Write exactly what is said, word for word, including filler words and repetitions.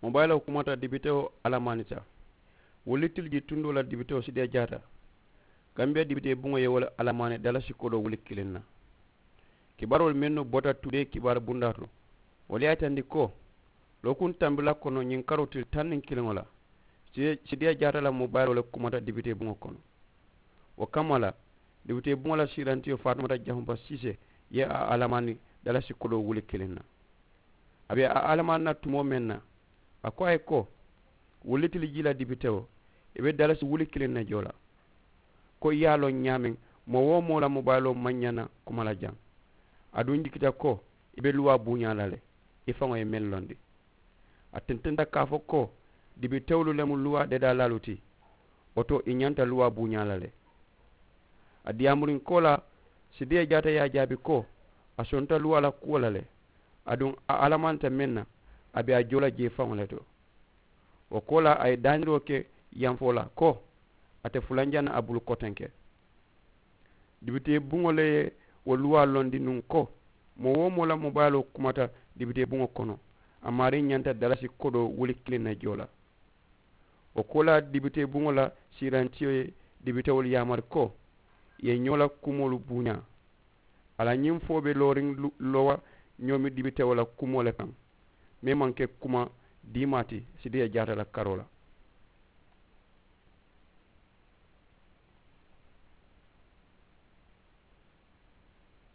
Mobaayiloo kumata dibitewo alamaanita. Wulli tili ji tundoo la dibitewo sidiya jaata. Kambiya dibitee buŋo ye wo le alamaani dalasi kodoo wuli kiliŋ na. Kibaaroolu mennu bota tudee kibaari bundaa to, wolu ye a yitandi ko lookuŋ tambilaa kono ñiŋ karoo tili taŋ niŋ kiliŋo la, sidiya jaata la mobaayiloo le kumata dibitee buŋo kono. Wo kamma la, dibitee buŋo la siirantiyo faatumata jahumpa siisee ye a alamaani dalasi kodoo wuli kiliŋ na. A be a alamaani na tumoo meŋ na, a ko a ye ko, wulli tili jii la dibitewo, i be dalasi wuli kiliŋ ne joo la. Ko i ye a loŋ ñaameŋ, moo-wo-moo la mobaayiloo maŋ ñaŋ na kuma la jaŋ. Aduŋ jikita ko i be luwaa buuñaa la le, i faŋo ye meŋ londi. A tententa ka a fo ko dibitewolu le mu luwaa dedaalaalu ti. Wo to i ñanta luwaa buuñaa la le. A diyaamuriŋ koolaa, sidiya jaata ye a jaabi ko a sonta luwaa la kuwo la le. Aduŋ a alamanta meŋ na, a be a joo la jee faŋo le to. Wo koolaa a ye daaniroo ke yanfoo la ko a te fulanjaŋ na a bulu kotenke. Dibitee buŋo le ye wo luwaa londi nuŋ ko moo-wo-moo la mobaayiloo kumata dibitee buŋo kono, a maarii ñanta dalasi kodoo wuli kiliŋ ne joo la. Wo koolaa dibitee buŋo la siirantiyo ye dibitewolu yaamari ko i ye ñoo la kumoolu buuñaa. A la ñiŋ fo be looriŋ loowa ñoomi dibitewo la kumoo le kaŋ, meŋ maŋ ke kuma diimaa ti sidiya jaata la karoo la.